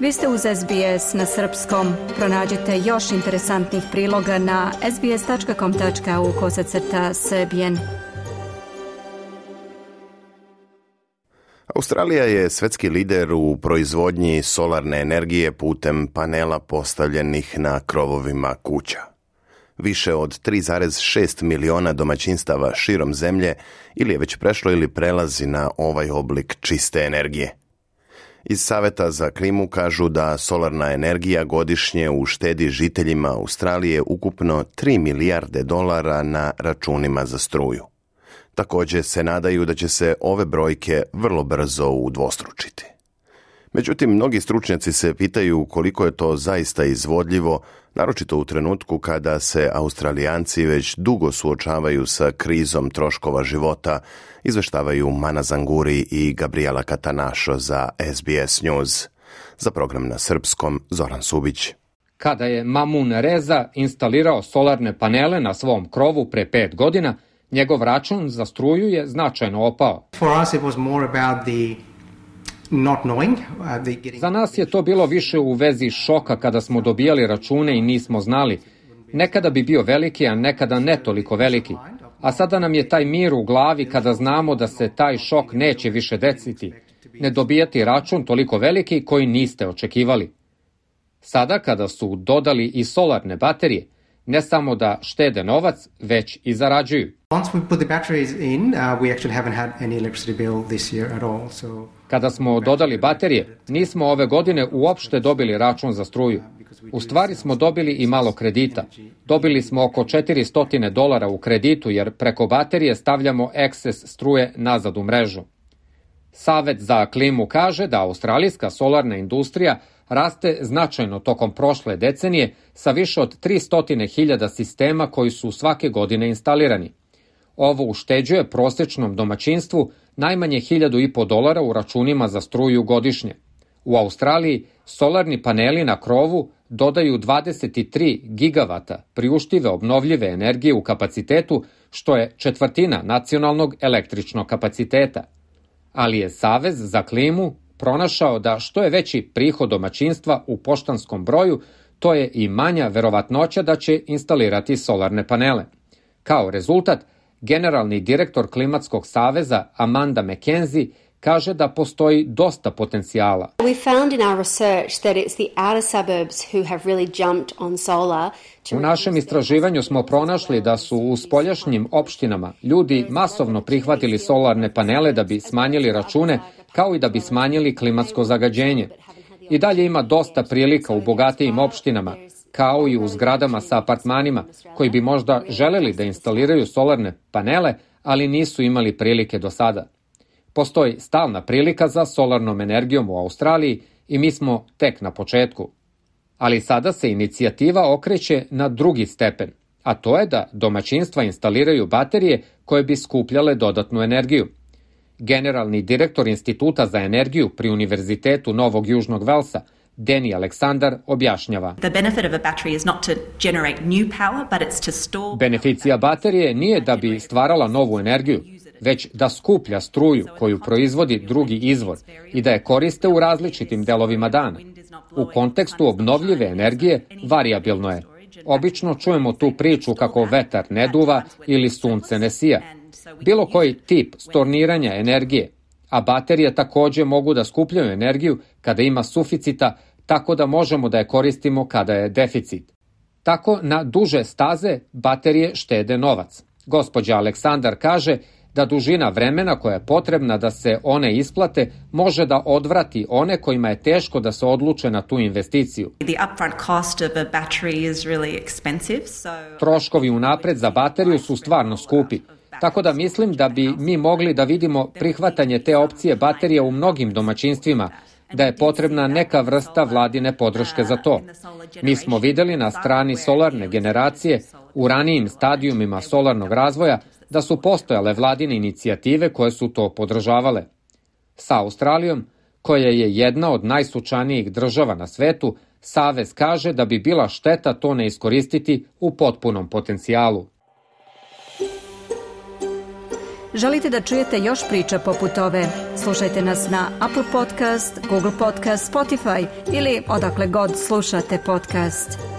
Vi ste uz SBS na srpskom. Pronađite još interesantnih priloga na sbs.com.au/srbijen. Australija je svetski lider u proizvodnji solarne energije putem panela postavljenih na krovovima kuća. Više od 3,6 miliona domaćinstava širom zemlje ili je već prešlo ili prelazi na ovaj oblik čiste energije. Iz Saveta za klimu kažu da solarna energija godišnje uštedi žiteljima Australije ukupno 3 milijarde dolara na računima za struju. Također se nadaju da će se ove brojke vrlo brzo udvostručiti. Međutim, mnogi stručnjaci se pitaju koliko je to zaista izvodljivo, naročito u trenutku kada se Australijanci već dugo suočavaju sa krizom troškova života, izveštavaju Mana Zanguri i Gabriela Katanašo za SBS News. Za program na srpskom Zoran Subić. Kada je Mamun Reza instalirao solarne panele na svom krovu pre 5 godina, njegov račun za struju je značajno opao. Za nas je to bilo više u vezi šoka kada smo dobijali račune i nismo znali. Nekada bi bio veliki, a nekada ne toliko veliki. A sada nam je taj mir u glavi kada znamo da se taj šok neće više desiti. Ne dobijati račun toliko veliki koji niste očekivali. Sada kada su dodali i solarne baterije, ne samo da štede novac, već i zarađuju. Kada smo dodali baterije, nismo ove godine uopšte dobili račun za struju. U stvari smo dobili i malo kredita. Dobili smo oko $400 u kreditu jer preko baterije stavljamo eksces struje nazad u mrežu. Savet za klimu kaže da australijska solarna industrija raste značajno tokom prošle decenije sa više od 300.000 sistema koji su svake godine instalirani. Ovo ušteđuje prosječnom domaćinstvu najmanje $1.500 u računima za struju godišnje. U Australiji solarni paneli na krovu dodaju 23 gigavata priuštive obnovljive energije u kapacitetu, što je četvrtina nacionalnog električnog kapaciteta. Ali je Savez za klimu pronašao da što je veći prihod domaćinstva u poštanskom broju, to je i manja verovatnoća da će instalirati solarne panele. Kao rezultat, generalni direktor Klimatskog saveza Amanda McKenzie kaže da postoji dosta potencijala. U našem istraživanju smo pronašli da su u spoljašnjim opštinama ljudi masovno prihvatili solarne panele da bi smanjili račune, kao i da bi smanjili klimatsko zagađenje. I dalje ima dosta prilika u bogatijim opštinama, kao i u zgradama sa apartmanima, koji bi možda želeli da instaliraju solarne panele, ali nisu imali prilike do sada. Postoji stalna prilika za solarnom energijom u Australiji i mi smo tek na početku. Ali sada se inicijativa okreće na drugi stepen, a to je da domaćinstva instaliraju baterije koje bi skupljale dodatnu energiju. Generalni direktor Instituta za energiju pri Univerzitetu Novog Južnog Velsa, Deni Aleksandar, objašnjava. Beneficija baterije nije da bi stvarala novu energiju, već da skuplja struju koju proizvodi drugi izvor i da je koriste u različitim delovima dana. U kontekstu obnovljive energije varijabilno je. Obično čujemo tu priču kako vetar ne duva ili sunce ne sija. Bilo koji tip storniranja energije, a baterije također mogu da skupljaju energiju kada ima suficita, tako da možemo da je koristimo kada je deficit. Tako na duže staze baterije štede novac. Gospođa Aleksandar kaže da dužina vremena koja je potrebna da se one isplate može da odvrati one kojima je teško da se odluče na tu investiciju. Troškovi unapred za bateriju su stvarno skupi, tako da mislim da bi mi mogli da vidimo prihvatanje te opcije baterija u mnogim domaćinstvima, da je potrebna neka vrsta vladine podrške za to. Mi smo videli na strani solarne generacije u ranijim stadijumima solarnog razvoja da su postojale vladine inicijative koje su to podržavale. Sa Australijom, koja je jedna od najsunčanijih država na svetu, Savez kaže da bi bila šteta to ne iskoristiti u potpunom potencijalu. Želite da čujete još priča poput ove? Slušajte nas na Apple Podcast, Google Podcast, Spotify ili odakle god slušate podcast.